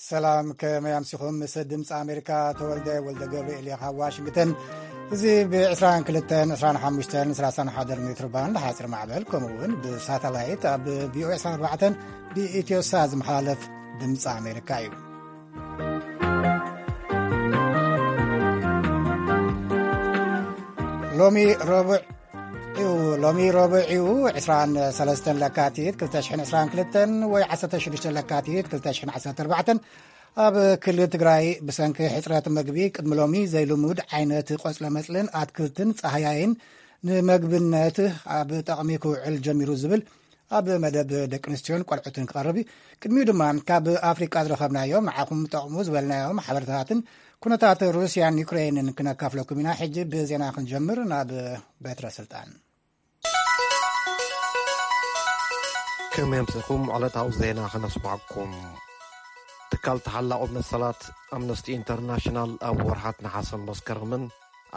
ሰላም፣ ከመይ ኣምሲኹም? ምስ ድምፂ ኣሜሪካ ተወልደ ወልደ ገብርኤል እየ ካብ ዋሽንግተን። እዚ ብ22፣ 25፣ 31 ሜትር ባንድ ሓፂር ማዕበል፣ ከምኡ እውን ብሳተላይት ኣብ ቪኦኤ 24 ብኢትዮሳ ዝመሓላለፍ ድምፂ ኣሜሪካ እዩ። ሎሚ ረቡዕ እዩ። ሎሚ ረቡዕ እዩ፣ 23 ለካቲት 2022 ወይ 16 ለካቲት 2014። ኣብ ክልል ትግራይ ብሰንኪ ሕፅረት መግቢ ቅድሚ ሎሚ ዘይልሙድ ዓይነት ቆፅለ መፅልን ኣትክልትን ፃህያይን ንመግብነት ኣብ ጠቕሚ ክውዕል ጀሚሩ ዝብል ኣብ መደብ ደቂ ኣንስትዮን ቆልዑትን ክቐርብ እዩ። ቅድሚኡ ድማ ካብ ኣፍሪቃ ዝረኸብናዮም ንዓኹም ጠቕሙ ዝበልናዮም ሓበሬታታትን ኩነታት ሩስያን ዩክሬንን ክነካፍለኩም ኢና። ሕጂ ብዜና ክንጀምር ናብ በትረ ስልጣን። ከመይ ኣምሲኹም? ዕለታዊ ዜና ከነስማዕኩም። ትካል ተሓላቑ መሰላት ኣምነስቲ ኢንተርናሽናል ኣብ ወርሓት ነሓሰን መስከረምን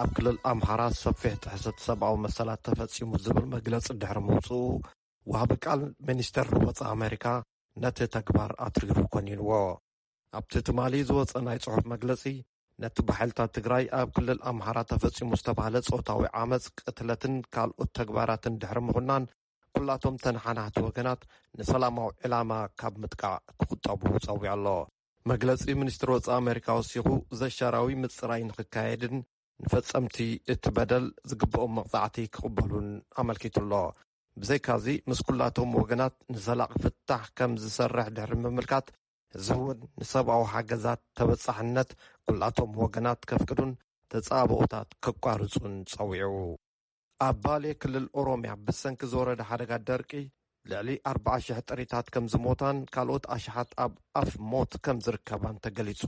ኣብ ክልል ኣምሓራ ሰፊሕ ጥሕሰት ሰብኣዊ መሰላት ተፈጺሙ ዝብል መግለጺ ድሕሪ ምውጽኡ፣ ወሃቢ ቃል ሚኒስተር ወጻኢ ኣሜሪካ ነቲ ተግባር ኣትሪሩ ኮኒንዎ። ኣብቲ ትማሊ ዝወጸ ናይ ጽሑፍ መግለጺ፣ ነቲ ብሓይልታት ትግራይ ኣብ ክልል ኣምሓራ ተፈጺሙ ዝተባህለ ጾታዊ ዓመጽ፣ ቅትለትን ካልኦት ተግባራትን ድሕሪ ምኹናን፣ ኩላቶም ተነሓናሕቲ ወገናት ንሰላማዊ ዕላማ ካብ ምጥቃዕ ክቁጠቡ ጸዊዑ ኣሎ። መግለጺ ሚኒስትሪ ወጻኢ ኣሜሪካ ወሲኹ፣ ዘሻራዊ ምጽራይ ንክካየድን ንፈጸምቲ እቲ በደል ዝግብኦም መቕጻዕቲ ክቕበሉን ኣመልኪቱ ኣሎ። ብዘይካዚ፣ ምስ ኩላቶም ወገናት ንዘላቒ ፍታሕ ከም ዝሰርሕ ድሕሪ ምምልካት፣ እዚ እውን ንሰብኣዊ ሓገዛት ተበጻሕነት ኩላቶም ወገናት ከፍቅዱን ተጻብኦታት ከቋርጹን ጸዊዑ። ኣብ ባሌ ክልል ኦሮምያ ብሰንኪ ዝወረደ ሓደጋ ደርቂ ልዕሊ ኣርባዓ ሽሕ ጥሪታት ከም ዝሞታን ካልኦት ኣሽሓት ኣብ ኣፍ ሞት ከም ዝርከባን ተገሊጹ።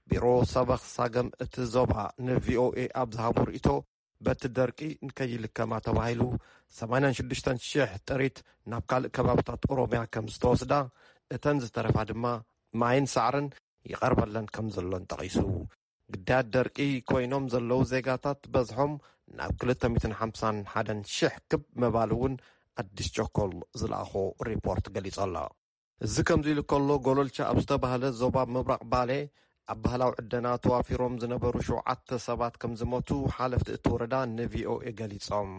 ቢሮ ሰበኽ ሳገም እቲ ዞባ ንቪኦኤ ኣብ ዝሃቦ ርእይቶ፣ በቲ ደርቂ ንከይልከማ ተባሂሉ 86,000 ጥሪት ናብ ካልእ ከባብታት ኦሮምያ ከም ዝተወስዳ፣ እተን ዝተረፋ ድማ ማይን ሳዕርን ይቐርበለን ከም ዘሎን ጠቒሱ። ግዳያት ደርቂ ኮይኖም ዘለዉ ዜጋታት በዝሖም ናብ 251,000 ክብ ምባል እውን ኣዲስ ቸኮል ዝለኣኾ ሪፖርት ገሊጹ ኣሎ። እዚ ከምዚ ኢሉ ከሎ፣ ጎሎልቻ ኣብ ዝተባህለ ዞባ ምብራቕ ባሌ ኣብ ባህላዊ ዕደና ተዋፊሮም ዝነበሩ ሸውዓተ ሰባት ከም ዝሞቱ ሓለፍቲ እቲ ወረዳ ንቪኦኤ ገሊጾም።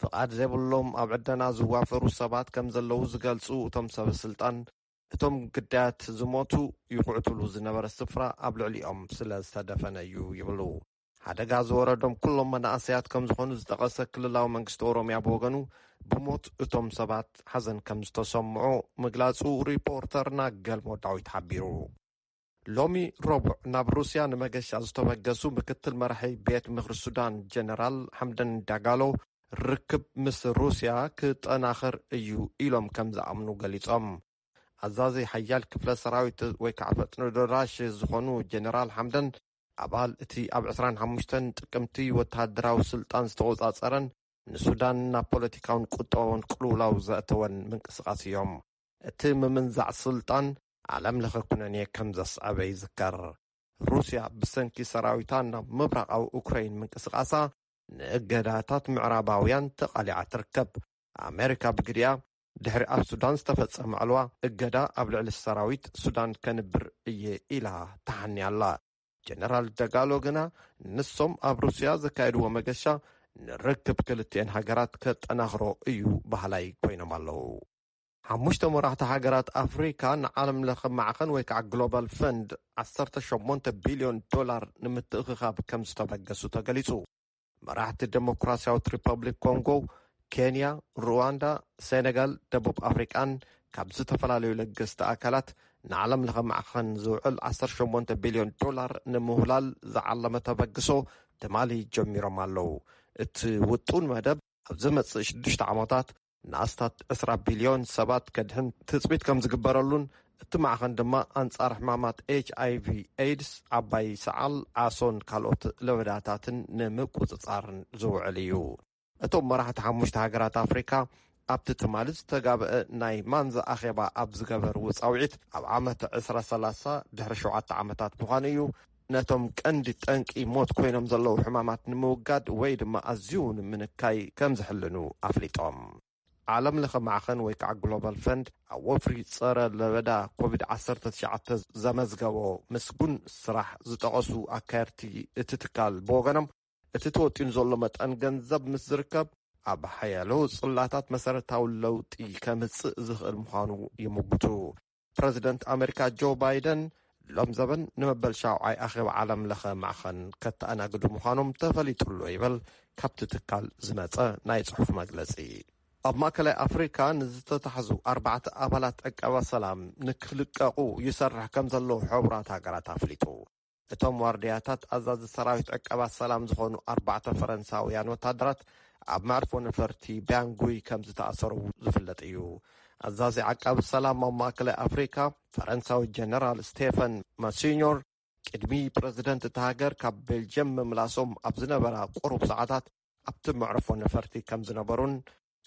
ፍቓድ ዘይብሎም ኣብ ዕደና ዝዋፈሩ ሰባት ከም ዘለዉ ዝገልጹ እቶም ሰበ ስልጣን፣ እቶም ግዳያት ዝሞቱ ይኹዕትሉ ዝነበረ ስፍራ ኣብ ልዕሊኦም ስለ ዝተደፈነ እዩ ይብሉ። ሓደጋ ዝወረዶም ኩሎም መናእሰያት ከም ዝኾኑ ዝጠቐሰ ክልላዊ መንግስቲ ኦሮምያ ብወገኑ፣ ብሞት እቶም ሰባት ሓዘን ከም ዝተሰምዖ ምግላጹ ሪፖርተርና ገልሞ ዳዊት ሓቢሩ። ሎሚ ረቡዕ ናብ ሩስያ ንመገሻ ዝተበገሱ ምክትል መራሒ ቤት ምኽሪ ሱዳን ጀነራል ሓምደን ዳጋሎ፣ ርክብ ምስ ሩስያ ክጠናኸር እዩ ኢሎም ከም ዝኣምኑ ገሊጾም። ኣዛዚ ሓያል ክፍለ ሰራዊት ወይ ከዓ ፈጥኖ ደራሽ ዝኾኑ ጀነራል ሓምደን፣ ኣባል እቲ ኣብ 25 ጥቅምቲ ወተሃደራዊ ስልጣን ዝተቆጻጸረን ንሱዳን ናብ ፖለቲካውን ቁጠባውን ቅልውላው ዘእተወን ምንቅስቃስ እዮም። እቲ ምምንዛዕ ስልጣን ዓለም ለኸ ኩነኔ ከም ዘስዐበ ይዝከር። ሩስያ ብሰንኪ ሰራዊታ ናብ ምብራቓዊ ኡክራይን ምንቅስቃሳ ንእገዳታት ምዕራባውያን ተቓሊዓ ትርከብ። ኣሜሪካ ብግዲኣ፣ ድሕሪ ኣብ ሱዳን ዝተፈጸመ ዕልዋ እገዳ ኣብ ልዕሊ ሰራዊት ሱዳን ከንብር እየ ኢላ ተሓንያ ኣላ። ጀነራል ደጋሎ ግና፣ ንሶም ኣብ ሩስያ ዘካየድዎ መገሻ ንርክብ ክልቲኤን ሃገራት ከጠናኽሮ እዩ በሃላይ ኮይኖም ኣለዉ። ሓሙሽተ መራሕቲ ሃገራት ኣፍሪካ ንዓለም ለኸ ማዕኸን ወይ ከዓ ግሎባል ፈንድ 18 ቢልዮን ዶላር ንምትእኽኻብ ከም ዝተበገሱ ተገሊጹ። መራሕቲ ዴሞክራሲያዊት ሪፐብሊክ ኮንጎ፣ ኬንያ፣ ሩዋንዳ፣ ሴኔጋል፣ ደቡብ ኣፍሪቃን ካብ ዝተፈላለዩ ለገስቲ ኣካላት ንዓለም ለኸ ማዕኸን ዝውዕል 18 ቢልዮን ዶላር ንምውላል ዝዓለመ ተበግሶ ትማሊ ጀሚሮም ኣለዉ። እቲ ውጡን መደብ ኣብ ዝመጽእ ሽዱሽተ ዓመታት ንኣስታት 20 ቢልዮን ሰባት ከድሕን ትጽቢት ከም ዝግበረሉን፣ እቲ ማዕኸን ድማ ኣንጻር ሕማማት ኤች ኣይ ቪ ኤድስ፣ ዓባይ ሰዓል፣ ዓሶን ካልኦት ለበዳታትን ንምቁጽጻርን ዝውዕል እዩ። እቶም መራሕቲ ሓሙሽተ ሃገራት ኣፍሪካ ኣብቲ ትማሊ ዝተጋብአ ናይ ማንዛ ኣኼባ ኣብ ዝገበርዎ ጻውዒት፣ ኣብ ዓመት 2030፣ ድሕሪ ሸውዓተ ዓመታት ምዃኑ እዩ፣ ነቶም ቀንዲ ጠንቂ ሞት ኮይኖም ዘለዉ ሕማማት ንምውጋድ ወይ ድማ ኣዝዩ ንምንካይ ከም ዝሕልኑ ኣፍሊጦም። ዓለም ለኸ ማዕኸን ወይ ከዓ ግሎባል ፈንድ ኣብ ወፍሪ ጸረ ለበዳ ኮቪድ ዓሰርተ ትሽዓተ ዘመዝገቦ ምስጉን ስራሕ ዝጠቐሱ ኣካየድቲ እቲ ትካል ብወገኖም፣ እቲ ተወጢኑ ዘሎ መጠን ገንዘብ ምስ ዝርከብ ኣብ ሓያሎ ጽላታት መሰረታዊ ለውጢ ከምጽእ ዝኽእል ምዃኑ ይምጉቱ። ፕረዚደንት ኣሜሪካ ጆ ባይደን ሎም ዘበን ንመበል ሻውዓይ ኣኼባ ዓለም ለኸ ማዕኸን ከተኣናግዱ ምዃኖም ተፈሊጡ ኣሎ ይበል ካብቲ ትካል ዝመጸ ናይ ጽሑፍ መግለጺ። ኣብ ማእከላይ ኣፍሪካ ንዝተታሕዙ ኣርባዕተ ኣባላት ዕቀባ ሰላም ንክልቀቑ ይሰርሕ ከም ዘሎ ሕቡራት ሃገራት ኣፍሊጡ። እቶም ዋርድያታት ኣዛዚ ሰራዊት ዕቀባ ሰላም ዝኾኑ ኣርባዕተ ፈረንሳውያን ወታደራት ኣብ መዕርፎ ነፈርቲ ባንጉይ ከም ዝተኣሰሩ ዝፍለጥ እዩ። ኣዛዚ ዓቃቢ ሰላም ኣብ ማእከላይ ኣፍሪካ ፈረንሳዊ ጀነራል ስቴፈን ማሲኞር ቅድሚ ፕረዚደንት እታ ሃገር ካብ ቤልጅየም ምምላሶም ኣብ ዝነበራ ቁሩብ ሰዓታት ኣብቲ መዕርፎ ነፈርቲ ከም ዝነበሩን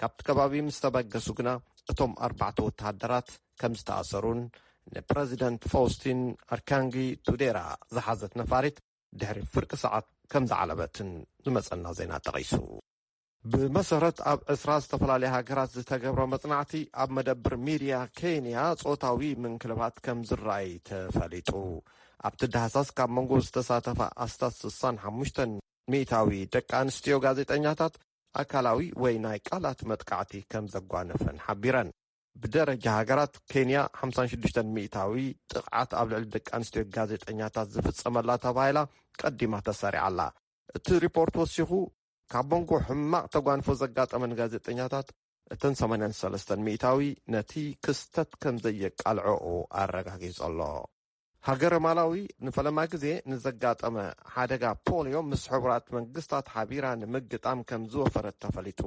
ካብቲ ከባቢ ምስ ተበገሱ ግና እቶም ኣርባዕተ ወተሃደራት ከም ዝተኣሰሩን ንፕረዚደንት ፋውስቲን ኣርካንጊ ቱዴራ ዝሓዘት ነፋሪት ድሕሪ ፍርቂ ሰዓት ከም ዝዓለበትን ዝመጸና ዜና ጠቒሱ። ብመሰረት ኣብ ዕስራ ዝተፈላለያ ሃገራት ዝተገብረ መጽናዕቲ ኣብ መደብር ሚድያ ኬንያ ጾታዊ ምንክልባት ከም ዝረኣይ ተፈሊጡ። ኣብቲ ዳህሳስ ካብ መንጎ ዝተሳተፋ ኣስታት ስሳን ሓሙሽተን ሚእታዊ ደቂ ኣንስትዮ ጋዜጠኛታት ኣካላዊ ወይ ናይ ቃላት መጥቃዕቲ ከም ዘጓነፈን ሓቢረን። ብደረጃ ሃገራት ኬንያ ሓምሳን ሽዱሽተን ሚእታዊ ጥቕዓት ኣብ ልዕሊ ደቂ ኣንስትዮ ጋዜጠኛታት ዝፍጸመላ ተባሂላ ቀዲማ ተሰሪዓ ኣላ። እቲ ሪፖርት ወሲኹ ካብ መንጎ ሕማቕ ተጓንፎ ዘጋጠመን ጋዜጠኛታት እተን ሰማንያን ሰለስተን ሚእታዊ ነቲ ክስተት ከም ዘየቃልዐኦ ኣረጋጊጹ ኣሎ። ሃገረ ማላዊ ንፈለማ ግዜ ንዘጋጠመ ሓደጋ ፖልዮ ምስ ሕቡራት መንግስታት ሓቢራ ንምግጣም ከም ዝወፈረት ተፈሊጡ።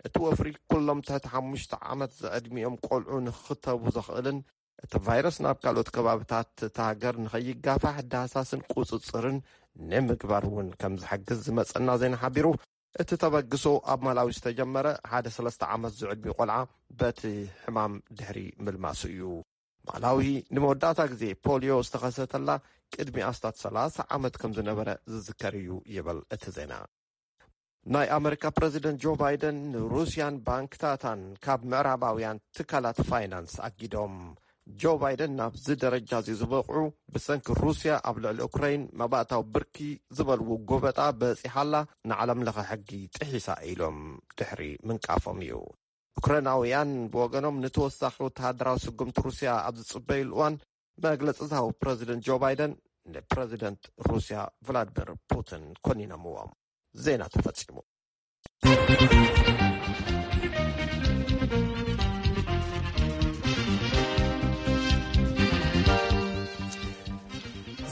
እቲ ወፍሪ ኩሎም ትሕቲ ሓሙሽተ ዓመት ዝዕድሚኦም ቆልዑ ንክኽተቡ ዘኽእልን እቲ ቫይረስ ናብ ካልኦት ከባብታት እታ ሃገር ንኸይጋፋሕ ዳህሳስን ቁጽጽርን ንምግባር እውን ከም ዝሕግዝ ዝመጸና ዜና ሓቢሩ። እቲ ተበግሶ ኣብ ማላዊ ዝተጀመረ ሓደ ሰለስተ ዓመት ዝዕድሚኡ ቆልዓ በቲ ሕማም ድሕሪ ምልማሱ እዩ። ማላዊ ንመወዳእታ ግዜ ፖልዮ ዝተኸሰተላ ቅድሚ ኣስታት ሰላሳ ዓመት ከም ዝነበረ ዝዝከር እዩ ይብል እቲ ዜና። ናይ ኣመሪካ ፕረዚደንት ጆ ባይደን ንሩስያን ባንክታታን ካብ ምዕራባውያን ትካላት ፋይናንስ ኣጊዶም። ጆ ባይደን ናብዚ ደረጃ እዚ ዝበቕዑ ብሰንኪ ሩስያ ኣብ ልዕሊ ኡክራይን መባእታዊ ብርኪ ዝበልዎ ጎበጣ በጺሓላ ንዓለም ለኸ ሕጊ ጥሒሳ ኢሎም ድሕሪ ምንቃፎም እዩ። ዩክሬናውያን ብወገኖም ንተወሳኺ ወተሃደራዊ ስጉምቲ ሩስያ ኣብ ዝጽበዩሉ እዋን መግለጺ ዝሃቡ ፕረዚደንት ጆ ባይደን ንፕረዚደንት ሩስያ ቭላድሚር ፑቲን ኮኒኖምዎም። ዜና ተፈጺሙ።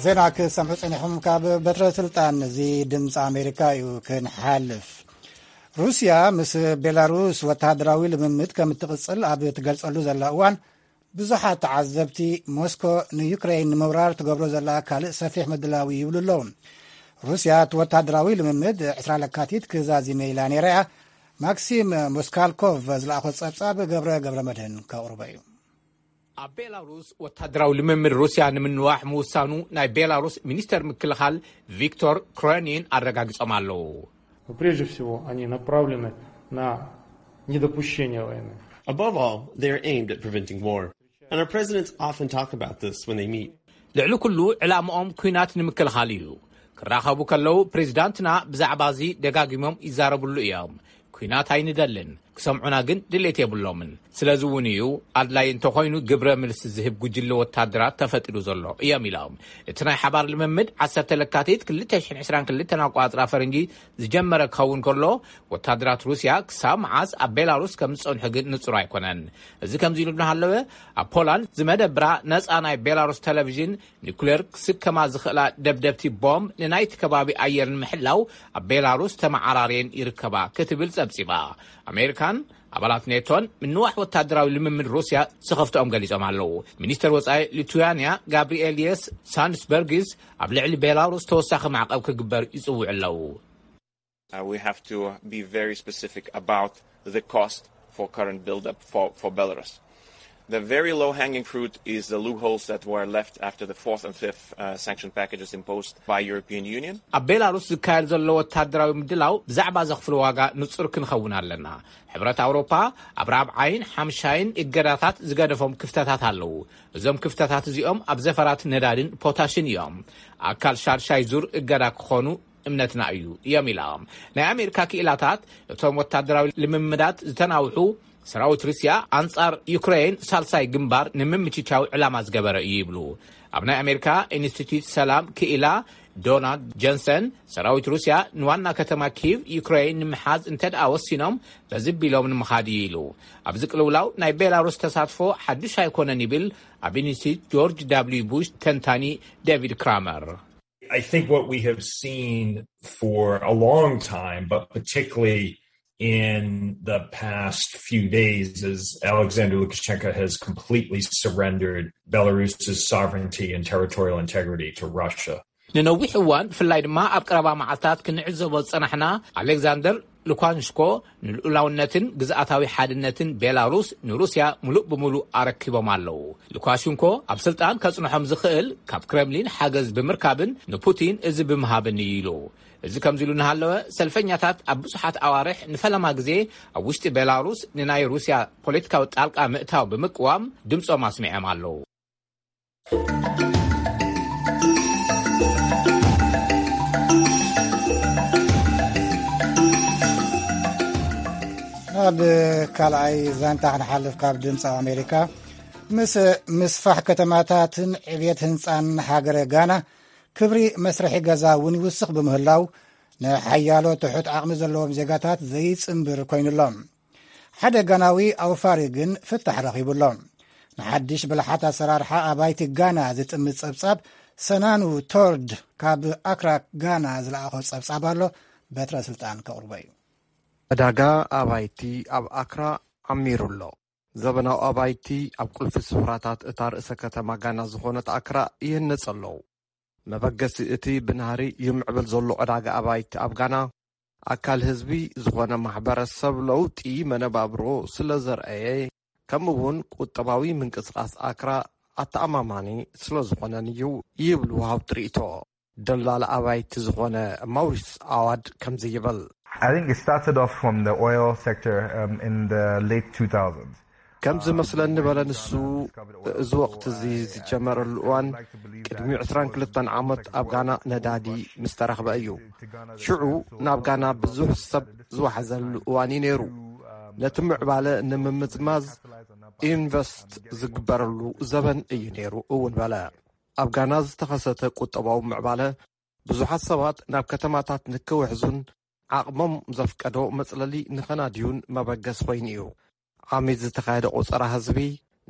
ዜና ክሰምዑ ጸኒሖም ካብ በትረ ስልጣን እዚ ድምፂ ኣሜሪካ እዩ። ክንሓልፍ ሩስያ ምስ ቤላሩስ ወተሃደራዊ ልምምድ ከም እትቕጽል ኣብ ትገልጸሉ ዘላ እዋን ብዙሓት ተዓዘብቲ ሞስኮ ንዩክሬን ንምውራር ትገብሮ ዘላ ካልእ ሰፊሕ ምድላው ይብሉ ኣለዉ። ሩስያ እቲ ወተሃደራዊ ልምምድ ዕስራ ለካቲት ክዛዚመ ኢላ ነይራ እያ። ማክሲም ሞስካልኮቭ ዝለኣኾ ጸብጻብ ገብረ ገብረ መድህን ከቕርቦ እዩ። ኣብ ቤላሩስ ወታደራዊ ልምምድ ሩስያ ንምንዋሕ ምውሳኑ ናይ ቤላሩስ ሚኒስተር ምክልኻል ቪክቶር ክሮኒን ኣረጋጊጾም ኣለዉ። Но прежде всего они направлены на недопущение войны. Above all, they are aimed at preventing war. And our presidents often talk about this when they meet. ልዕሊ ኩሉ ዕላምኦም ኲናት ንምክልኻል እዩ። ክራኸቡ ከለዉ ፕሬዚዳንትና ብዛዕባ እዚ ደጋጊሞም ይዛረብሉ እዮም። ኲናት ኣይንደልን፣ ክሰምዑና ግን ድሌት የብሎምን። ስለዚ እውን እዩ ኣድላይ እንተኾይኑ ግብረ ምልሲ ዝህብ ጉጅለ ወታደራት ተፈጢሩ ዘሎ እዮም ኢሎም። እቲ ናይ ሓባር ልምምድ ዓሰርተ ለካቲት ክልተ ሽሕን ዕስራን ክልተን ኣቋጽራ ፈረንጂ ዝጀመረ ክኸውን ከሎ ወታደራት ሩስያ ክሳብ መዓስ ኣብ ቤላሩስ ከም ዝጸንሑ ግን ንጹር ኣይኮነን። እዚ ከምዚ ኢሉ እናሃለወ ኣብ ፖላንድ ዝመደብራ ነጻ ናይ ቤላሩስ ቴሌቪዥን ኒኩሌር ክስከማ ዝኽእላ ደብደብቲ ቦምብ ንናይቲ ከባቢ ኣየር ንምሕላው ኣብ ቤላሩስ ተመዓራርየን ይርከባ ክትብል ጸብጺባ። ኣሜሪካን ኣባላት ኔቶን ምንዋሕ ወታደራዊ ልምምድ ሩስያ ዝኸፍትኦም ገሊጾም ኣለዉ። ሚኒስተር ወጻኢ ሊቱያንያ ጋብሪኤልየስ ሳንድስበርግስ ኣብ ልዕሊ ቤላሩስ ተወሳኺ ማዕቐብ ክግበር ይጽውዑ ኣለዉ። Uh, we have to be very specific about the cost for current buildup for, for Belarus. The very low hanging fruit is the loopholes that were left after the fourth and fifth uh, sanction packages imposed by European Union. ኣብ ቤላሩስ ዝካየድ ዘሎ ወታደራዊ ምድላው ብዛዕባ ዘኽፍሎ ዋጋ ንጹር ክንኸውን ኣለና። ሕብረት ኣውሮፓ ኣብ ራብዓይን ሓምሻይን እገዳታት ዝገደፎም ክፍተታት ኣለዉ። እዞም ክፍተታት እዚኦም ኣብ ዘፈራት ነዳድን ፖታሽን እዮም። ኣካል ሻድሻይ ዙር እገዳ ክኾኑ እምነትና እዩ እዮም ኢሎም። ናይ ኣሜሪካ ክኢላታት እቶም ወታደራዊ ልምምዳት ዝተናውሑ ሰራዊት ሩስያ ኣንጻር ዩክሬን ሳልሳይ ግንባር ንምምችቻው ዕላማ ዝገበረ እዩ ይብሉ። ኣብ ናይ ኣሜሪካ ኢንስቲትዩት ሰላም ክኢላ ዶናልድ ጀንሰን ሰራዊት ሩስያ ንዋና ከተማ ኪቭ ዩክሬን ንምሓዝ እንተ ደኣ ወሲኖም በዚ ቢሎም ንምኻድ እዩ ኢሉ። ኣብዚ ቅልውላው ናይ ቤላሩስ ተሳትፎ ሓዱሽ ኣይኮነን ይብል ኣብ ኢንስቲትዩት ጆርጅ ዳብልዩ ቡሽ ተንታኒ ዴቪድ ክራመር። I think what we have seen for a long time, but particularly in the past few days, is Alexander Lukashenko has completely surrendered Belarus's sovereignty and territorial integrity to Russia. ንነዊሕ እዋን ብፍላይ ድማ ኣብ ቀረባ መዓልታት ክንዕዘቦ ዝጸናሕና ኣሌክዛንደር ሉካሽንኮ ንልኡላውነትን ግዝኣታዊ ሓድነትን ቤላሩስ ንሩስያ ምሉእ ብምሉእ ኣረኪቦም ኣለዉ። ሉካሽንኮ ኣብ ስልጣን ከጽንሖም ዝኽእል ካብ ክረምሊን ሓገዝ ብምርካብን ንፑቲን እዚ ብምሃብን እዩ ኢሉ። እዚ ከምዚ ኢሉ እናሃለወ ሰልፈኛታት ኣብ ብዙሓት ኣዋርሕ ንፈለማ ግዜ ኣብ ውሽጢ ቤላሩስ ንናይ ሩስያ ፖለቲካዊ ጣልቃ ምእታው ብምቅዋም ድምፆም ኣስሚዖም ኣለዉ። ናብ ካልኣይ ዛንታ ክንሓልፍ ካብ ድምፂ ኣሜሪካ። ምስ ምስፋሕ ከተማታትን ዕብየት ህንፃን ሃገረ ጋና ክብሪ መስርሒ ገዛ እውን ይውስኽ ብምህላው ንሓያሎ ትሑት ዓቕሚ ዘለዎም ዜጋታት ዘይፅንብር ኮይኑሎም። ሓደ ጋናዊ ኣውፋሪ ግን ፍታሕ ረኺቡሎም። ንሓድሽ ብልሓት ኣሰራርሓ ኣባይቲ ጋና ዝጥምት ጸብጻብ ሰናኑ ቶርድ ካብ ኣክራ ጋና ዝለኣኾ ጸብጻብ ኣሎ። በትረ ስልጣን ከቕርቦ እዩ። ዕዳጋ ኣባይቲ ኣብ ኣክራ ዓሚሩ ኣሎ። ዘበናዊ ኣባይቲ ኣብ ቁልፊ ስፍራታት እታ ርእሰ ከተማ ጋና ዝኾነት ኣክራ ይህነጽ ኣለዉ። መበገሲ እቲ ብናህሪ ይምዕብል ዘሎ ዕዳጋ ኣባይቲ ኣብ ጋና ኣካል ህዝቢ ዝኾነ ማሕበረሰብ ለውጢ መነባብሮ ስለ ዘርኣየ ከምኡ እውን ቁጠባዊ ምንቅስቃስ ኣክራ ኣተኣማማኒ ስለ ዝኾነን እዩ ይብሉ ወሃብቲ ርእይቶ። ደላላ ኣባይቲ ዝኾነ ማውሪስ ኣዋድ ከምዚ ይብል። I think it started off from the oil sector um, in the late two thousand. ከም ዝመስለኒ በለ ንሱ፣ እዚ ወቕቲ እዚ ዝጀመረሉ እዋን ቅድሚ ዕስራን ክልተን ዓመት ኣብ ጋና ነዳዲ ምስ ተረኽበ እዩ። ሽዑ ናብ ጋና ብዙሕ ሰብ ዝወሓዘሉ እዋን እዩ ነይሩ። ነቲ ምዕባለ ንምምዝማዝ ኢንቨስት ዝግበረሉ ዘበን እዩ ነይሩ እውን በለ። ኣብ ጋና ዝተኸሰተ ቁጠባዊ ምዕባለ ብዙሓት ሰባት ናብ ከተማታት ንክውሕዙን ዓቕሞም ዘፍቀዶ መጽለሊ ንኸናድዩን መበገሲ ኮይኑ እዩ። ዓሚት ዝተኻየደ ቆጸራ ህዝቢ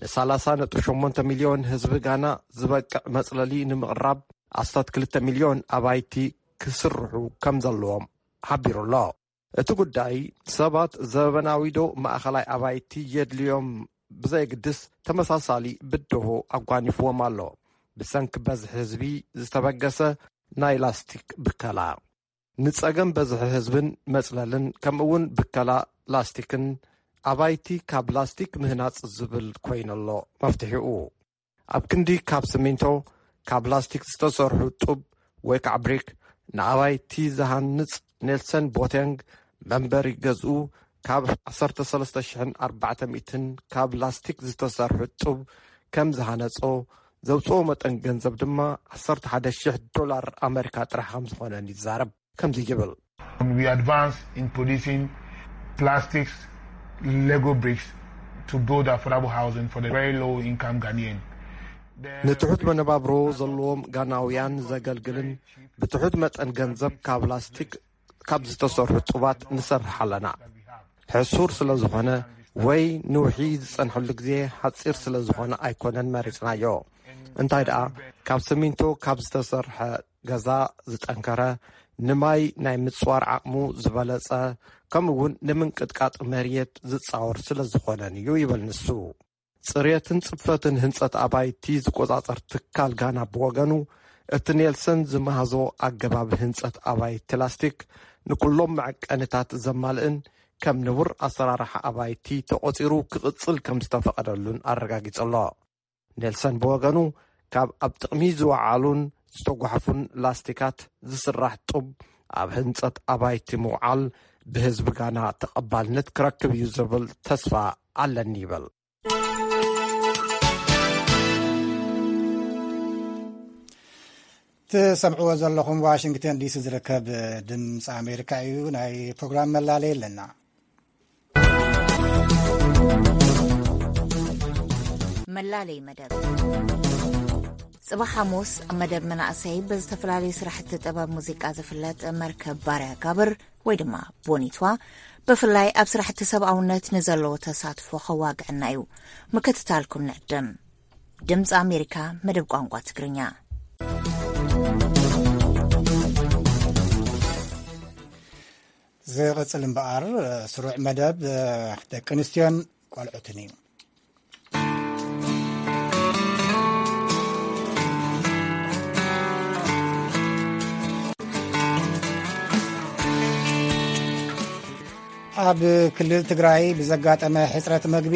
ን ሰላሳ ነጥቢ ሸሞንተ ሚልዮን ህዝቢ ጋና ዝበቅዕ መጽለሊ ንምቕራብ ኣስታት ክልተ ሚልዮን ኣባይቲ ክስርሑ ከም ዘለዎም ሓቢሩ ኣሎ። እቲ ጉዳይ ሰባት ዘበናዊ ዶ ማእኸላይ ኣባይቲ የድልዮም ብዘየግድስ ተመሳሳሊ ብድሆ ኣጓኒፍዎም ኣሎ። ብሰንኪ በዝሒ ህዝቢ ዝተበገሰ ናይ ላስቲክ ብከላ። ንጸገም በዝሒ ህዝብን መጽለልን ከምኡውን ብከላ ላስቲክን ኣባይቲ ካብ ላስቲክ ምህናጽ ዝብል ኮይኑሎ መፍትሒኡ። ኣብ ክንዲ ካብ ስሚንቶ ካብ ላስቲክ ዝተሰርሑ ጡብ ወይ ከዓ ብሪክ ንኣባይቲ ዝሃንጽ ኔልሰን ቦቴንግ መንበሪ ገዝኡ ካብ ዓሰርተ ሰለስተ ሽሕን ኣርባዕተ ሚእትን ካብ ላስቲክ ዝተሰርሑ ጡብ ከም ዝሃነጾ ዘውፅኦ መጠን ገንዘብ ድማ ዓሰርተ ሓደ ሽሕ ዶላር ኣመሪካ ጥራሕ ከም ዝኾነን ይዛረብ። ከምዚ ይብል። We advance in producing plastics Lego bricks to build affordable housing for the very low income Ghanaian. ንትሑት መነባብሮ ዘለዎም ጋናውያን ዘገልግልን ብትሑት መጠን ገንዘብ ካብ ላስቲክ ካብ ዝተሰርሑ ጡባት ንሰርሕ ኣለና። ሕሱር ስለ ዝኾነ ወይ ንውሒ ዝጸንሐሉ ግዜ ሓጺር ስለ ዝኾነ ኣይኮነን መሪጽናዮ። እንታይ ደኣ ካብ ስሚንቶ ካብ ዝተሰርሐ ገዛ ዝጠንከረ፣ ንማይ ናይ ምጽዋር ዓቕሙ ዝበለጸ፣ ከምኡ እውን ንምንቅጥቃጥ መርየት ዝጻወር ስለ ዝኾነን እዩ ይብል ንሱ። ጽርየትን ጽፈትን ህንጸት ኣባይቲ ዝቆጻጸር ትካል ጋና ብወገኑ፣ እቲ ኔልሰን ዝመሃዞ ኣገባብ ህንጸት ኣባይቲ ላስቲክ ንኩሎም መዐቀንታት ዘማልእን ከም ንቡር ኣሰራርሓ ኣባይቲ ተቖጺሩ ክቕጽል ከም ዝተፈቐደሉን ኣረጋጊጹ ኣሎ። ኔልሰን ብወገኑ፣ ካብ ኣብ ጥቕሚ ዝወዓሉን ዝተጓሕፉን ላስቲካት ዝስራሕ ጡብ ኣብ ህንጸት ኣባይቲ ምውዓል ብህዝቢ ጋና ተቐባልነት ክረክብ እዩ ዝብል ተስፋ ኣለኒ ይብል። ትሰምዕዎ ዘለኹም ዋሽንግተን ዲሲ ዝርከብ ድምፂ ኣሜሪካ እዩ። ናይ ፕሮግራም መላለይ ኣለና። መላለይ መደብ። ጽባሕ ሓሙስ ኣብ መደብ መናእሰይ ብዝተፈላለዩ ስራሕቲ ጥበብ ሙዚቃ ዝፍለጥ መርከብ ባርያ ጋብር ወይ ድማ ቦኒቷ ብፍላይ ኣብ ስራሕቲ ሰብኣውነት ንዘለዎ ተሳትፎ ከዋግዐና እዩ። ምክትታልኩም ንዕድም። ድምፂ ኣሜሪካ መደብ ቋንቋ ትግርኛ። ዝቕጽል እምበኣር ስሩዕ መደብ ደቂ ኣንስትዮን ቆልዑትን እዩ። ኣብ ክልል ትግራይ ብዘጋጠመ ሕፅረት መግቢ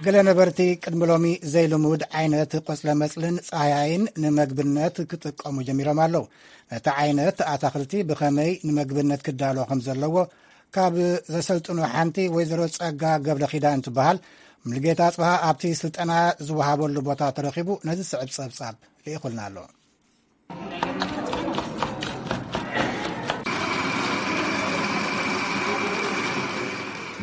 ገለ ነበርቲ ቅድሚ ሎሚ ዘይልሙድ ዓይነት ቆፅለ መፅልን ፃህያይን ንመግብነት ክጥቀሙ ጀሚሮም ኣለዉ። ነቲ ዓይነት ኣታኽልቲ ብኸመይ ንምግብነት ክዳሎ ከም ዘለዎ ካብ ዘሰልጥኑ ሓንቲ ወይዘሮ ጸጋ ገብረ ኪዳን ትበሃል። ሙሉጌታ ኣጽብሃ ኣብቲ ስልጠና ዝወሃበሉ ቦታ ተረኺቡ ነዚ ስዕብ ጸብጻብ ልኢኹልና ኣሎ።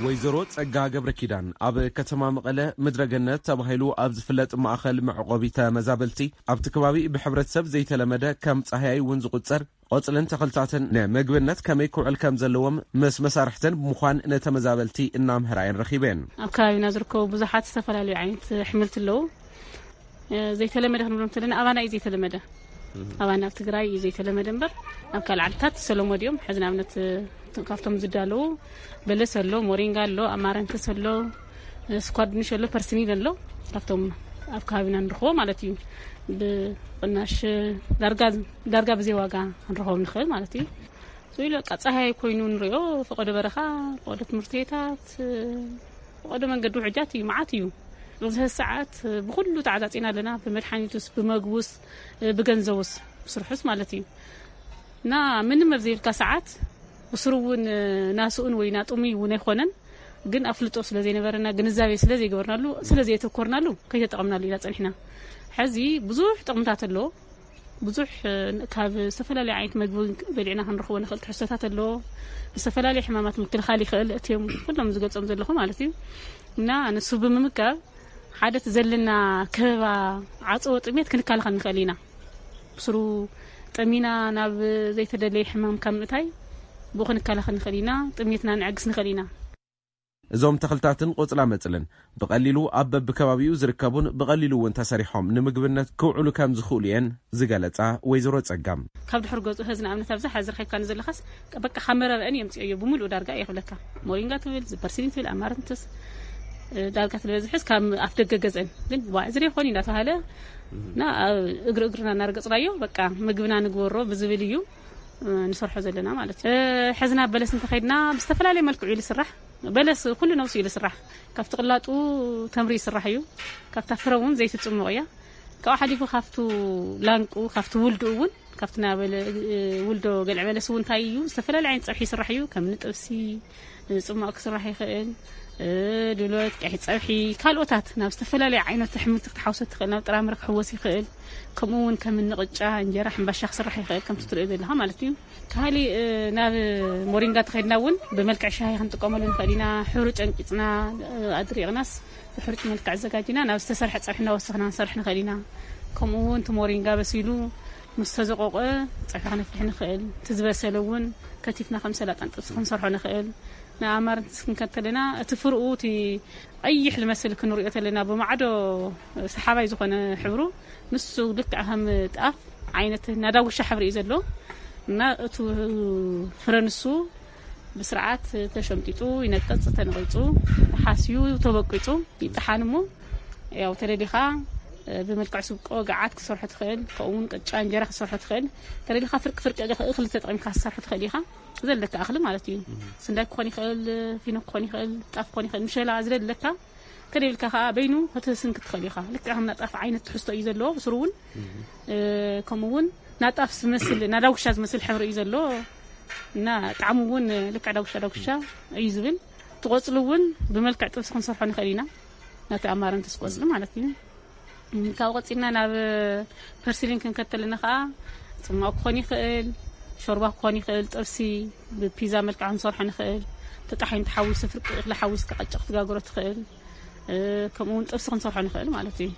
ወይዘሮ ጸጋ ገብረ ኪዳን ኣብ ከተማ መቐለ ምድረገነት ተባሂሉ ኣብ ዝፍለጥ ማእኸል መዕቆቢ ተመዛበልቲ ኣብቲ ከባቢ ብሕብረተሰብ ዘይተለመደ ከም ጻህያይ እውን ዝቑጸር ቆጽልን ተኽልታትን ንምግብነት ከመይ ክውዕል ከም ዘለዎም ምስ መሳርሕተን ብምዃን ነተመዛበልቲ እናምህራ እየን ረኺበን። ኣብ ከባቢና ዝርከቡ ብዙሓት ዝተፈላለዩ ዓይነት ኣሕምልቲ ኣለዉ። እ፣ ዘይተለመደ ክንብሎ እንተለና ኣባና እዩ ዘይተለመደ። ኣባና ኣብ ትግራይ እዩ ዘይተለመደ እምበር ኣብ ካልእ ዓድታት ዝተለመዱ እዮም። ሕዚ ንኣብነት፣ እ፣ ካብቶም ዝዳለዉ በለስ ኣሎ፣ ሞሪንጋ ኣሎ፣ ኣማረንተስ ኣሎ፣ እ፣ ስኳር ድንሽ ኣሎ፣ ፐርስኒ ኣሎ። ካብቶም ኣብ ከባቢና ንረኽቦ ማለት እዩ። ብቕናሽ ዳርጋ፣ ዳርጋ ብዘይ ዋጋ ክንረኽቦም ንኽእል ማለት እዩ። ስኢሉ በቃ ጸሃይ ኮይኑ ንሪኦ፣ ፈቐዶ በረኻ፣ ፈቐዶ ትምህርቲ ቤታት፣ ፈቐዶ መንገዲ ውሕጃት እዩ፣ መዓት እዩ። ኣብዚ ሰዓት ብኹሉ ተዓጻጺና ኣለና፣ ብመድሓኒቱስ፣ ብመግቡስ፣ ብገንዘቡስ፣ ብስርሑስ ማለት እዩ። እና ምንም ኣብ ዘይብልካ ሰዓት ብስሩ እውን ናስኡን ወይ ናጥሙይ እውን ኣይኮነን። ግን ኣፍልጦ ስለ ዘይነበረና፣ ግንዛቤ ስለ ዘይገበርናሉ፣ ስለ ዘየተኮርናሉ፣ ከይተጠቐምናሉ ኢና ጸኒሕና። ሕዚ ብዙሕ ጥቕምታት ኣለዎ። ብዙሕ፣ እ፣ ካብ ዝተፈላለዩ ዓይነት መግቢ በሊዕና ክንረኽቦ ንኽእል ትሕዝቶታት ኣለዎ። ንዝተፈላለዩ ሕማማት ምክልኻል ይኽእል፣ እቲኦም ኩሎም ዝገልጾም ዘለኹ ማለት እዩ። እና ንሱ ብምምጋብ ሓደ እቲ ዘለና ከበባ ዓጸቦ ጥሜት ክንከላኸል ንኽእል ኢና። ብስሩ ጠሚና ናብ ዘይተደለየ ሕማም ካብ ምእታይ ብኡ ክንከላኸል ንኽእል ኢና። ጥሜትና ንዕግስ ንኽእል ኢና። እዞም ተኽልታትን ቆጽላ መጽልን ብቐሊሉ ኣብ በብከባቢኡ ዝርከቡን ብቐሊሉ እውን ተሰሪሖም ንምግብነት ክውዕሉ ከም ዝኽእሉ እየን ዝገለጻ ወይዘሮ ጸጋም። ካብ ድሕሪ ገጹ ሀዚ ንኣብነት ኣብዛ ሐዚ ረኺብካኒ ዘለኻስ በቃ ካብ መረበአን የምጽኦዮ ብምሉኡ ዳርጋ እየ ክብለካ። ሞሪንጋ ትብል፣ ዝፐርሲኒ ትብል፣ ኣማረንትስ፣ እ፣ ዳርጋ ትበዝሕስ ካብ ኣፍ ደገ ገዝአን። ግን ዋዕ ዝደ ይኾን እንዳተባሃለ እና ኣብ እግሪ እግርና እናረገጽናዮ በቃ ምግብና ንግበሮ ብዝብል እዩ፣ እ፣ ንሰርሖ ዘለና ማለት እዩ። እ፣ ሐዚ ናብ በለስ እንተኸይድና ብዝተፈላለየ መልክዑ እዩ ዝስራሕ። በለስ ኩሉ ነብሱ እዩ ዝስራሕ። ካብቲ ቅላጡ ተምሪ ይስራሕ እዩ። ካብታ ፍረ እውን ዘይቲ ትጽሞቕ እያ። ካብኡ ሓሊፉ ካብቱ ላንቁ፣ ካብቲ ውልዱ እውን፣ ካብቲ ናበለ፣ እ፣ ውልዶ ገልዕ በለስ እውን እንታይ እዩ፣ ዝተፈላለዩ ዓይነት ጸብሒ ይስራሕ እዩ። ከም ንጥብሲ፣ እ፣ ጽማቕ ክስራሕ ይኽእል፣ እ፣ ድሎት፣ ቀይሕ ጸብሒ፣ ካልኦታት ናብ ዝተፈላለዩ ዓይነት ኣሕምልቲ ክትሓውሶ ትኽእል፣ ናብ ጥራምረ ክሕወስ ይኽእል። ከምኡ እውን ከም ንቕጫ፣ እንጀራ፣ ሕምባሻ ክስራሕ ይኽእል፣ ከምቲ ትርእዮ ዘለኻ ማለት እዩ። ካሊእ፣ እ፣ ናብ ሞሪንጋ ተኸድና እውን ብመልክዕ ሻሂ ክንጥቀመሉ ንኽእል ኢና። ሕሩጭ ኣንቂፅና፣ እ፣ ኣድሪቕናስ ብሕሩጭ መልክዕ ኣዘጋጅና ናብ ዝተሰርሐ ፀብሒ እናወሰኽና ክንሰርሕ ንኽእል ኢና። ከምኡ እውን እቲ ሞሪንጋ በሲሉ ምስ ተዘቆቆ ፀብሒ ክነፍልሕ ንኽእል። እቲ ዝበሰለ እውን ከቲፍና ከም ሰላጣን ጥብሲ ክንሰርሖ ንኽእል። ንኣማርንትስ ክንከተልና እቲ ፍርኡ እቲ ቀይሕ ዝመስል ክንሪኦ ተለና ብማዕዶ ሰሓባይ ዝኾነ ሕብሩ ንሱ ልክዕ ከም ጣፍ ዓይነት ናዳጉሻ ሕብሪ እዩ ዘሎ እና እቱ ፍረ ንሱ ብስርዓት ተሸምጢጡ ይነቅጽ፣ ተነቂጹ፣ ተሓስዩ፣ ተበቂጹ ይጠሓን እሞ ያው ተደሊኻ ብመልክዕ ስብቆ ገዓት ክትሰርሖ ትኽእል፣ ከምኡ እውን ቅጫ እንጀራ ክትሰርሖ ትኽእል። ተደሊኻ ፍርቂ ፍርቂ እኽሊ ተጠቒምካ ክትሰርሖ ትኽእል ኢኻ። ዘለካ እኽሊ ማለት እዩ። ስንዳይ ክኾን ይኽእል፣ ፊኖ ክኾን ይኽእል፣ ጣፍ ክኾን ይኽእል፣ ምሸላ ዝደለካ። ከደልካ ከዓ በይኑ ክትስንክ ትኽእል ኢኻ። ልክዕ ከም ናጣፍ ዓይነት ትሕዝቶ እዩ ዘለዎ። ብስሩ እውን ከምኡ እውን ናጣፍ ዝመስል፣ ናዳጉሻ ዝመስል ሕብሪ እዩ ዘለዎ። እና ጣዕሙ እውን ልክዕ ዳጉሻ ዳጉሻ እዩ ዝብል። ትቆፅሉ እውን ብመልክዕ ጥብሲ ክንሰርሖ ንኽእል ኢና። ናቲ ኣማረን ትስቆፅሉ ማለት እዩ። ካብ ቆፂልና ናብ ፐርሲሊን ክንከተልና ከዓ፣ ፅማቕ ክኾን ይኽእል፣ ሾርባ ክኾን ይኽእል፣ ጥብሲ ብፒዛ መልክዕ ክንሰርሖ ንኽእል። ተጣሒኑ ተሓዊሱ፣ ፍርቂ እኽሊ ሓዊስካ ቅጫ ክትጋግሮ ትኽእል። ከምኡ እውን ጥብሲ ክንሰርሖ ንኽእል ማለት እዩ።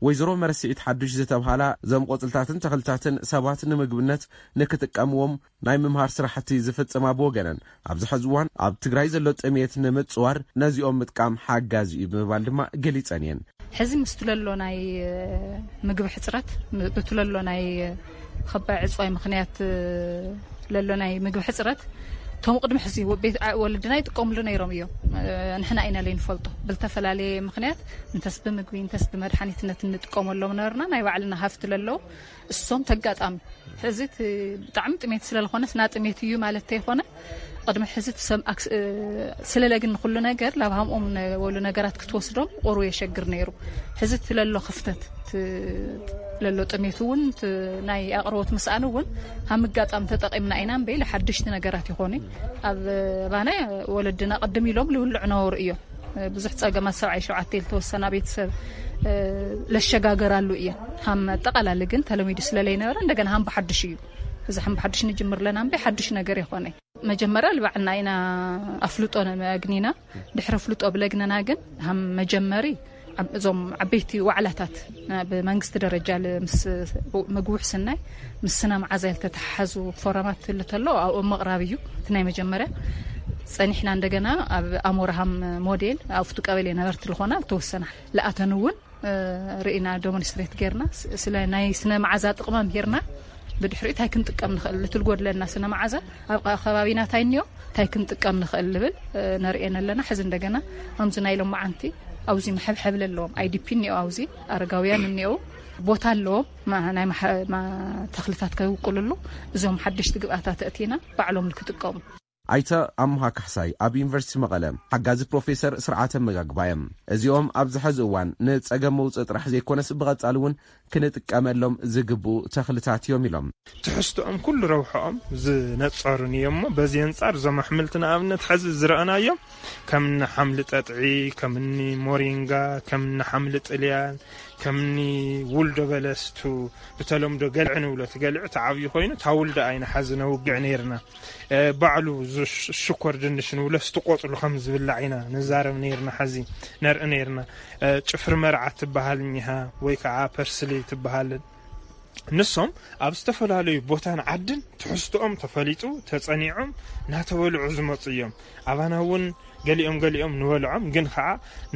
ወይዘሮ መረስዒት ሓዱሽ ዝተብሃላ፣ እዞም ቆፅልታትን ተኽልታትን ሰባት ንምግብነት ንክጥቀምዎም ናይ ምምሃር ስራሕቲ ዝፍፅማ ብወገነን፣ ኣብዚ ሕዚ እዋን ኣብ ትግራይ ዘሎ ጥሜት ንምፅዋር ነዚኦም ምጥቃም ሓጋዚ እዩ ብምባል ድማ ገሊፀን እየን። ሕዚ ምስቲ ለሎ ናይ ምግቢ ሕፅረት፣ ብቲ ለሎ ናይ ከባይ ዕፅዋይ ምኽንያት ለሎ ናይ ምግቢ ሕፅረት፣ እቶም ቅድሚ ሕዚ ቤት ወለድና ይጥቀምሉ ነይሮም እዮም። ንሕና ኢና ለይንፈልጦ፣ ብልተፈላለየ ምኽንያት እንተስ ብምግቢ እንተስ ብመድሓኒትነት እንጥቀመሎም ነበርና። ናይ ባዕልና ሃፍቲ ለለዉ እሶም ተጋጣሚ ሕዚ ብጣዕሚ ጥሜት ስለዝኾነ፣ ስና ጥሜት እዩ ማለት ተይኮነ፣ ቅድሚ ሕዚ ትሰም ስለለግን ንኩሉ ነገር ላብ ሃምኦም ወሉ ነገራት ክትወስዶም ቁሩ የሸግር ነይሩ። ሕዚ ትለሎ ክፍተት ለሎ ጥሜት እውን ናይ ኣቅርቦት ምስኣን እውን ሃም ኣጋጣሚ ተጠቂምና ኢና እምበይ፣ ሓድሽቲ ነገራት ይኾኑ። ኣብ ባና ወለድና ቅድም ኢሎም ልውልዕ ነበሩ እዮም። ብዙሕ ጸገማት ሰብዓይ ሸውዓተ ዝተወሰና ቤተሰብ ለሸጋገራሉ እየን። ሃም ኣጠቃላሊ ግን ተለሚዱ ስለለይነበረ እንደገና ሃም ብሓድሽ እዩ። እዚ ሃም ብሓድሽ ንጅምር ለና እምበይ ሓድሽ ነገር ይኾነ። መጀመርያ ልባዕልና ኢና ኣፍልጦ ነመግኒና። ድሕሪ ኣፍልጦ ብለግነና ግን ሃም መጀመሪ እዞም ዓበይቲ ዋዕላታት ብመንግስቲ ደረጃ ምስ ምግቢ ውሕስናይ ምስ ስነ መዓዛ ዝተተሓሓዙ ፎረማት ትልተሎ ኣብኦም ምቕራብ እዩ እቲ ናይ መጀመርያ። ፀኒሕና እንደገና ኣብ ኣሞራሃም ሞዴል ኣብቱ ቀበሌ ነበርቲ ዝኾና ዝተወሰና ለኣተን እውን ርኢና ዶሞንስትሬት ጌርና ስለ ናይ ስነ መዓዛ ጥቕመም ሄርና ብድሕሪኡ እንታይ ክንጥቀም ንኽእል፣ ልትልጎ ድለና ስነ መዓዛ ኣብ ከባቢና እንታይ እኒኦ እንታይ ክንጥቀም ንኽእል ልብል ነርእየን ኣለና። ሕዚ እንደገና ከምዚ ናይ ሎማዓንቲ ኣብዚ መሐብሐብ ለለዎም ኣይዲፒ እኒኦ፣ ኣብዚ ኣረጋውያን እኒኦ፣ ቦታ ኣለዎም ናይ ተኽልታት ከውቅልሉ እዞም ሓደሽቲ ግብኣታት እቲና ባዕሎም ንክጥቀሙ። ኣይተ ኣምሃ ካሕሳይ ኣብ ዩኒቨርሲቲ መቐለ ሓጋዚ ፕሮፌሰር ስርዓተ መጋግባ እዮም። እዚኦም ኣብዚ ሕዚ እዋን ንፀገም መውፅኢ ጥራሕ ዘይኮነስ ብቐፃሊ እውን ክንጥቀመሎም ዝግብኡ ተኽልታት እዮም ኢሎም። ትሕዝቶኦም ኩሉ ረብሖኦም ዝነፀሩን እዮም እሞ በዚ ኣንፃር እዞም ኣሕምልቲ ንኣብነት ሕዚ ዝረኣናዮም ከምኒ ሓምሊ ጠጥዒ፣ ከምኒ ሞሪንጋ፣ ከምኒ ሓምሊ ጥልያን፣ ከምኒ ውልዶ በለስቱ ብተለምዶ ገልዒ ንብሎ። እቲ ገልዒ ተዓብዩ ኮይኑ እታ ውልዶ ኣይና ሓዚ ነውግዕ ነይርና። ባዕሉ ሽኮር ድንሽ ንብሎ ስቲ ቆፅሉ ከም ዝብላዕ ኢና ንዛረብ ነይርና። ሓዚ ነርኢ ነይርና። ጭፍሪ መርዓ ትበሃል እኒሃ ወይ ከዓ ፐርስሊ ትበሃል። ንሶም ኣብ ዝተፈላለዩ ቦታን ዓድን ትሕዝቶኦም ተፈሊጡ ተፀኒዖም እናተበልዑ ዝመፁ እዮም። ኣባና እውን ገሊኦም ገሊኦም ንበልዖም ግን ከዓ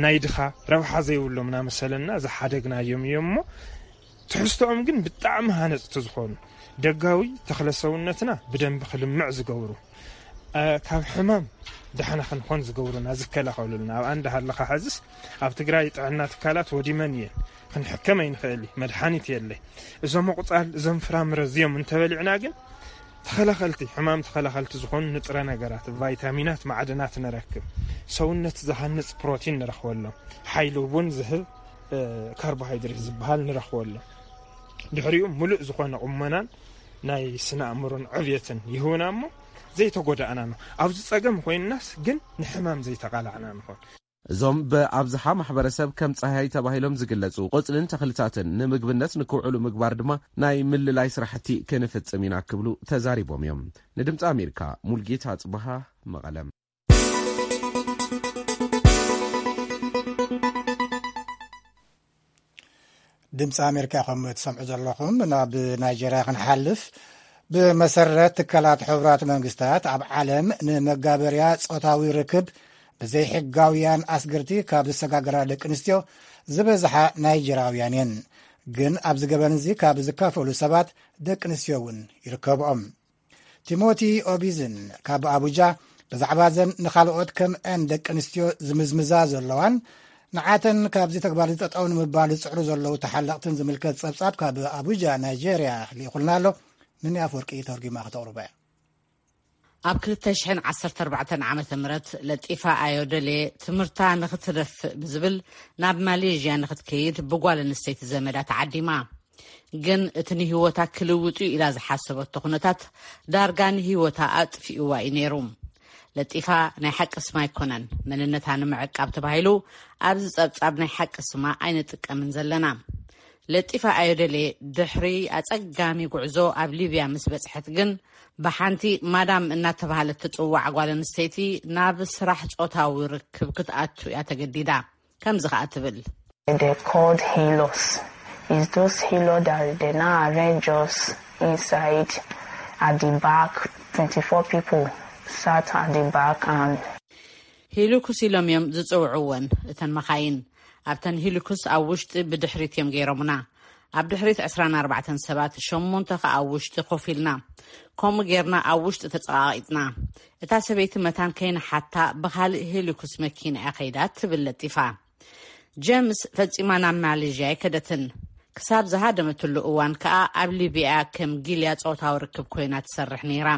ናይ ድኻ ረብሓ ዘይብሎም እናመሰለና ዝሓደግናዮም እዮም እሞ ትሕዝቶኦም ግን ብጣዕሚ ሃነፅቲ ዝኾኑ ደጋዊ ተኽለ ሰውነትና ብደንቢ ክልምዕ ዝገብሩ ካብ ሕማም ዳሕና ክንኾን ዝገብሩና ዝከላኸሉልና ኣብኣ እንዳሃለኻ ሕዝስ ኣብ ትግራይ ጥዕና ትካላት ወዲመን እየን። ክንሕከም ኣይንኽእል እዩ መድሓኒት የለይ። እዞም ኣቑፃል እዞም ፍራምረ እዚኦም እንተበሊዕና ግን ተኸላኸልቲ ሕማም ተኸላኸልቲ ዝኾኑ ንጥረ ነገራት ቫይታሚናት ማዕድናት ንረክብ። ሰውነት ዝሃንፅ ፕሮቲን ንረኽበሎም። ሓይሊ እውን ዝህብ ካርቦሃይድሬት ዝበሃል ንረኽበሎም። ድሕሪኡ ሙሉእ ዝኾነ ቁመናን ናይ ስነ ኣእምሮን ዕብየትን ይህቡና እሞ ዘይተጎዳእና ነው። ኣብዚ ፀገም ኮይንናስ ግን ንሕማም ዘይተቃላዕና ንኾን። እዞም ብኣብዝሓ ማሕበረሰብ ከም ፃህያይ ተባሂሎም ዝግለፁ ቆፅልን ተኽልታትን ንምግብነት ንክውዕሉ ምግባር ድማ ናይ ምልላይ ስራሕቲ ክንፍፅም ኢና ክብሉ ተዛሪቦም እዮም። ንድምፂ ኣሜሪካ ሙልጌታ ኣፅበሃ መቐለም። ድምፂ ኣሜሪካ ከም ትሰምዑ ዘለኹም ናብ ናይጀርያ ክንሓልፍ። ብመሰረት ትካላት ሕቡራት መንግስታት ኣብ ዓለም ንመጋበርያ ፆታዊ ርክብ ብዘይሕጋውያን ኣስገርቲ ካብ ዝሰጋገራ ደቂ ኣንስትዮ ዝበዝሓ ናይጀራውያን እየን። ግን ኣብዚ ገበን እዚ ካብ ዝካፈሉ ሰባት ደቂ ኣንስትዮ እውን ይርከብኦም። ቲሞቲ ኦቢዝን ካብ ኣቡጃ ብዛዕባ ዘን ንኻልኦት ከምአን ደቂ ኣንስትዮ ዝምዝምዛ ዘለዋን ንዓተን ካብዚ ተግባር እዚ ጠጠው ንምባል ዝጽዕሩ ዘለዉ ተሓለቕትን ዝምልከት ጸብጻብ ካብ ኣቡጃ ናይጄርያ ልኢኹልና ኣሎ። ንኒ ኣፍወርቂ ተርጒማ ከተቕርቦ እያ። ኣብ ክልተ ሽሕን ዓሰርተ ኣርባዕተን ዓመተ ምህረት ለጢፋ ኣዮደሌ ትምህርታ ንኽትደፍእ ብዝብል ናብ ማሌዥያ ንኽትከይድ ብጓል ኣንስተይቲ ዘመዳ ተዓዲማ። ግን እቲ ንህይወታ ክልውጥ እዩ ኢላ ዝሓሰበቶ ኩነታት ዳርጋ ንህይወታ ኣጥፊእዋ እዩ ነይሩ። ለጢፋ ናይ ሓቂ ስማ ኣይኮነን። መንነታ ንምዕቃብ ተባሂሉ ኣብዚ ጸብጻብ ናይ ሓቂ ስማ ኣይንጥቀምን ዘለና። ለጢፋ ኣዮደሌ ድሕሪ ኣጸጋሚ ጉዕዞ ኣብ ሊብያ ምስ በጽሐት ግን ብሓንቲ ማዳም እናተባህለት ትጽዋዕ ጓል ኣንስተይቲ ናብ ስራሕ ጾታዊ ርክብ ክትኣቱ እያ ተገዲዳ። ከምዚ ኸኣ ትብል። They called healers. It's those healers that they now arrange us inside at the back. Twenty-four people sat at the back and ሂሉኩስ ኢሎም እዮም ዝጽውዕወን እተን መኻይን። ኣብተን ሂሉኩስ ኣብ ውሽጢ ብድሕሪት እዮም ገይሮምና። ኣብ ድሕሪት ዕስራን ኣርባዕተን ሰባት፣ ሸሞንተ ኸኣ ኣብ ውሽጢ ኮፍ ኢልና። ከምኡ ጌርና ኣብ ውሽጢ ተጸቓቒጥና። እታ ሰበይቲ መታን ከይንሓታ ብኻልእ ሄሊኩስ መኪና እያ ከይዳ ትብል ለጢፋ። ጀምስ ፈጺማ ናብ ማሌዥያ ኣይከደትን። ክሳብ ዝሃደመትሉ እዋን ከኣ ኣብ ሊብያ ከም ጊልያ ጾታዊ ርክብ ኮይና ትሰርሕ ነይራ።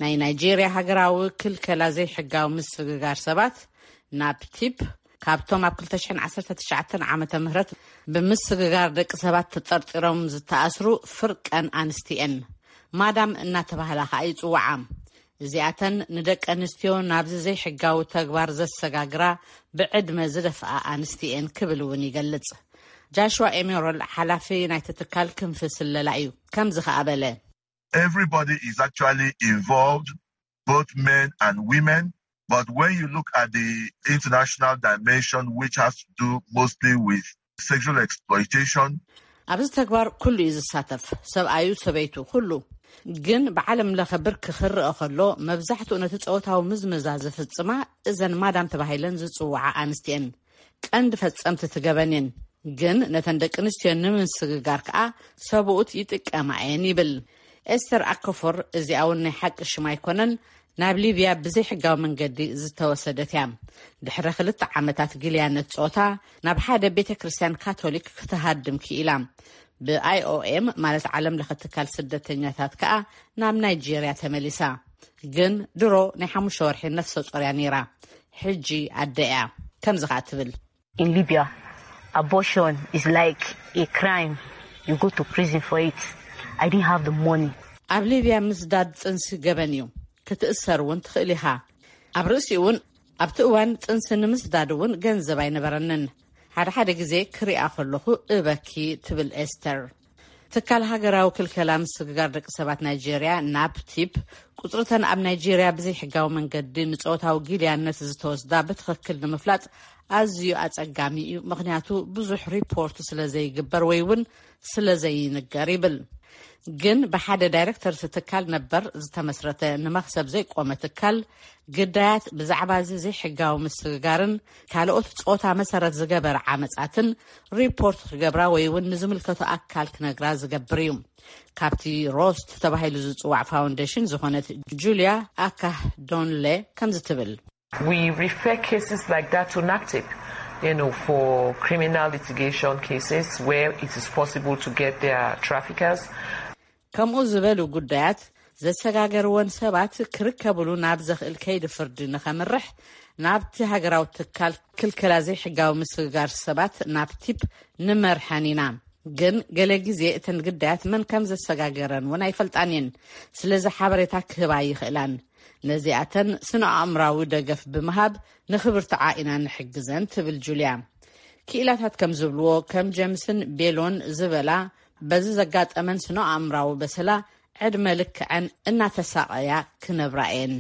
ናይ ናይጄርያ ሃገራዊ ክልከላ ዘይሕጋዊ ምስግጋር ሰባት ናብ ቲፕ ካብቶም ኣብ ክልተ ሽሕን ዓሰርተ ትሽዓተን ዓመተ ምህረት ብምስግጋር ደቂ ሰባት ተጠርጢሮም ዝተኣስሩ ፍርቀን ኣንስቲ እየን። ማዳም እናተባህላ ከኣ ይጽውዓ። እዚኣተን ንደቂ ኣንስትዮ ናብዚ ዘይሕጋዊ ተግባር ዘሰጋግራ ብዕድመ ዝደፍኣ ኣንስቲ እየን ክብል እውን ይገልጽ። ጃሽዋ ኤሜሮል ሓላፊ ናይቲ ትካል ክንፊ ስለላ እዩ። ከምዚ ከኣ በለ። Everybody is actually involved, both men and women. But when you look at the international dimension, which has to do mostly with sexual exploitation, ኣብዚ ተግባር ኩሉ እዩ ዝሳተፍ፣ ሰብኣዩ፣ ሰበይቱ፣ ኩሉ። ግን ብዓለም ለኸ ብርኪ ክረአ ከሎ መብዛሕትኡ ነቲ ጾታዊ ምዝመዛ ዝፍጽማ እዘን ማዳም ተባሂለን ዝጽውዓ ኣንስቲ እየን። ቀንዲ ፈጸምቲ እቲ ገበን እየን። ግን ነተን ደቂ ኣንስትዮ ንምስግጋር ከኣ ሰብኡት ይጥቀማ እየን ይብል። ኤስተር ኣከፎር፣ እዚኣ እውን ናይ ሓቂ ሽም ኣይኮነን፣ ናብ ሊብያ ብዘይሕጋዊ መንገዲ ዝተወሰደት እያ። ድሕሪ ክልተ ዓመታት ግልያነት ጾታ ናብ ሓደ ቤተ ክርስቲያን ካቶሊክ ክትሃድም ክኢላ። ብኣይኦኤም ማለት ዓለም ለኸ ትካል ስደተኛታት ከኣ ናብ ናይጄርያ ተመሊሳ። ግን ድሮ ናይ ሓሙሽተ ወርሒ ነፍሰ ጾር እያ ነይራ። ሕጂ ኣደ እያ። ከምዚ ከኣ ትብል። In Libya, abortion is like a crime. You go to prison for it. I didn't have the money. ኣብ ሊብያ ምስዳድ ጽንሲ ገበን እዩ። ክትእሰር እውን ትኽእል ኢኻ። ኣብ ርእሲኡ እውን ኣብቲ እዋን ጽንሲ ንምስዳድ እውን ገንዘብ ኣይነበረንን። ሓደ ሓደ ግዜ ክሪኣ ከለኹ እበኪ ትብል ኤስተር። ትካል ሃገራዊ ክልከላ ምስግጋር ደቂ ሰባት ናይጄርያ ናብ ቲፕ ቁጽርተን ኣብ ናይጄርያ ብዘይሕጋዊ መንገዲ ንጾታዊ ጊልያነት ዝተወስዳ ብትኽክል ንምፍላጥ ኣዝዩ ኣጸጋሚ እዩ፣ ምኽንያቱ ብዙሕ ሪፖርት ስለ ዘይግበር ወይ እውን ስለ ዘይንገር ይብል። ግን ብሓደ ዳይሬክተር እቲ ትካል ነበር ዝተመስረተ ንመኽሰብ ዘይቆመ ትካል ግዳያት ብዛዕባ እዚ ዘይሕጋዊ ምስግጋርን ካልኦት ጾታ መሰረት ዝገበረ ዓመጻትን ሪፖርት ክገብራ ወይ እውን ንዝምልከቶ ኣካል ክነግራ ዝገብር እዩ። ካብቲ ሮስት ተባሂሉ ዝጽዋዕ ፋውንዴሽን ዝኾነት ጁልያ ኣካህ ዶንሌ ከምዚ ትብል። We refer cases like that to nactip, you know, for criminal litigation cases where it is possible to get their traffickers. ከምኡ ዝበሉ ጉዳያት ዘሰጋገርወን ሰባት ክርከብሉ ናብ ዘኽእል ከይዲ ፍርዲ ንኸምርሕ ናብቲ ሃገራዊ ትካል ክልከላ ዘይሕጋዊ ምስግጋር ሰባት ናብ ቲፕ ንመርሐን ኢና። ግን ገለ ግዜ እተን ግዳያት መን ከም ዘሰጋገረን እውን ኣይፈልጣን እየን። ስለዚ ሓበሬታ ክህባ ይኽእላን። ነዚኣተን ስነ ኣእምራዊ ደገፍ ብምሃብ ንኽብርትዓ ኢና ንሕግዘን ትብል ጁልያ። ክኢላታት ከም ዝብልዎ ከም ጀምስን ቤሎን ዝበላ በዚ ዘጋጠመን ስነ ኣእምራዊ በሰላ ዕድመ ልክዐን እናተሳቐያ ክነብራ እየን።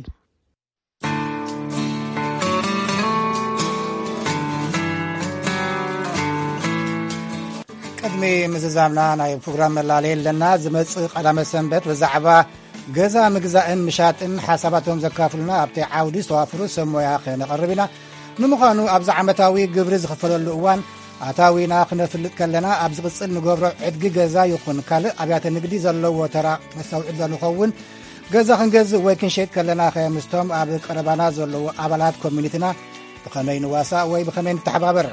ቅድሚ ምዝዛምና ናይ ፕሮግራም መላለየ ኣለና። ዝመጽእ ቀዳመ ሰንበት ብዛዕባ ገዛ ምግዛእን ምሻጥን ሓሳባቶም ዘካፍሉና ኣብቲ ዓውዲ ዝተዋፍሩ ሰብ ሞያ ክነቐርብ ኢና። ንምዃኑ ኣብዚ ዓመታዊ ግብሪ ዝኽፈለሉ እዋን ኣታዊና ክነፍልጥ ከለና ኣብ ዝቕጽል ንገብሮ ዕድጊ ገዛ ይኹን ካልእ ኣብያተ ንግዲ ዘለዎ ተራ ነስተውዕል ዶ ንኸውን? ገዛ ክንገዝእ ወይ ክንሸይጥ ከለና ከ ምስቶም ኣብ ቀረባና ዘለዉ ኣባላት ኮሚኒቲና ብኸመይ ንዋሳእ ወይ ብኸመይ ንተሓባበር?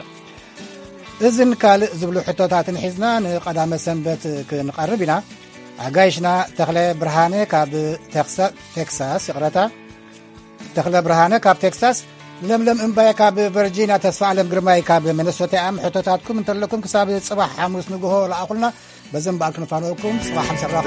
እዝን ካልእ ዝብሉ ሕቶታትን ሒዝና ንቐዳመ ሰንበት ክንቐርብ ኢና። ኣጋይሽና ተኽለ ብርሃነ ካብ ተክሳ- ቴክሳስ፣ ይቕረታ፣ ተኽለ ብርሃነ ካብ ቴክሳስ፣ ለምለም እምባይ ካብ ቨርጂንያ፣ ተስፋ ኣለም ግርማይ ካብ ሚነሶታ እዮም። ሕቶታትኩም እንተለኩም ክሳብ ጽባሕ ሓሙስ ንግሆ ለኣኹልና። በዘን በዓል ክንፋነወኩም ጽባሕ ምሰራኹም።